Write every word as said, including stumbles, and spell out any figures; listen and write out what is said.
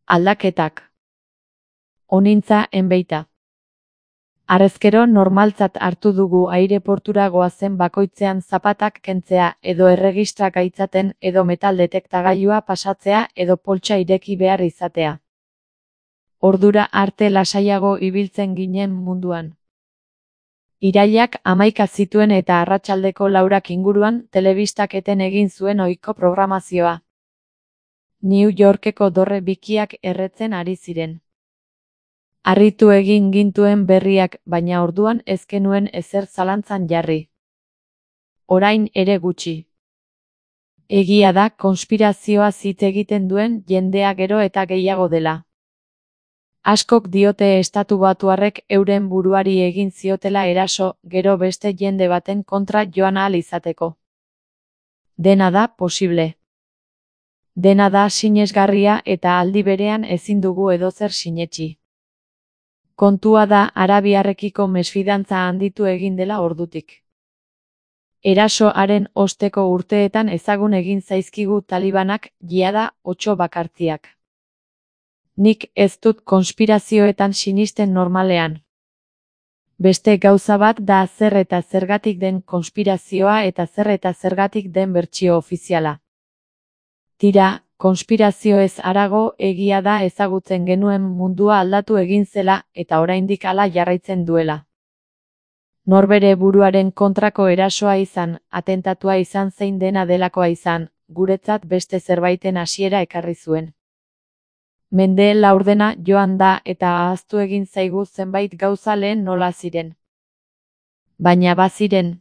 Aldaketak. Honintza enbeita. Harrezkero normaltzat hartu dugu aireportura goazen bakoitzean zapatak kentzea edo erregistra gaitzaten edo metal detektagailua pasatzea edo poltsa ireki behar izatea. Ordura arte lasaiago ibiltzen ginen munduan. Irailak hamaika zituen eta arratsaldeko laurak inguruan telebistak eten egin zuen ohiko programazioa. New Yorkeko dorre bikiak erretzen ari ziren. Harritu egin gintuen berriak, baina orduan ez genuen ezer zalantzan jarri. Orain ere gutxi. Egia da konspirazioa hitz egiten duen jendea gero eta gehiago dela. Askok diote estatubatuarrek euren buruari egin ziotela eraso, gero beste jende baten kontra joan ahal izateko. Dena da posible. Dena da sinesgarria eta aldi berean ezin dugu edozer sinetsi. Kontua da arabiarrekiko mesfidantza handitu egin dela ordutik. Erasoaren osteko urteetan ezagun egin zaizkigu talibanak, jada otso bakartiak. Nik ez dut konspirazioetan sinisten normalean. Beste gauza bat da zer eta zergatik den konspirazioa eta zer eta zergatik den bertsio ofiziala. Tira, konspirazio ez harago egia da ezagutzen genuen mundua aldatu egin zela eta oraindik hala jarraitzen duela. Norbere buruaren kontrako erasoa izan, atentatua izan zein dena delakoa izan, guretzat beste zerbaiten hasiera ekarri zuen. Mende laurdena joan da eta ahaztu egin zaigu zenbait gauza lehen nola ziren. Baina baziren.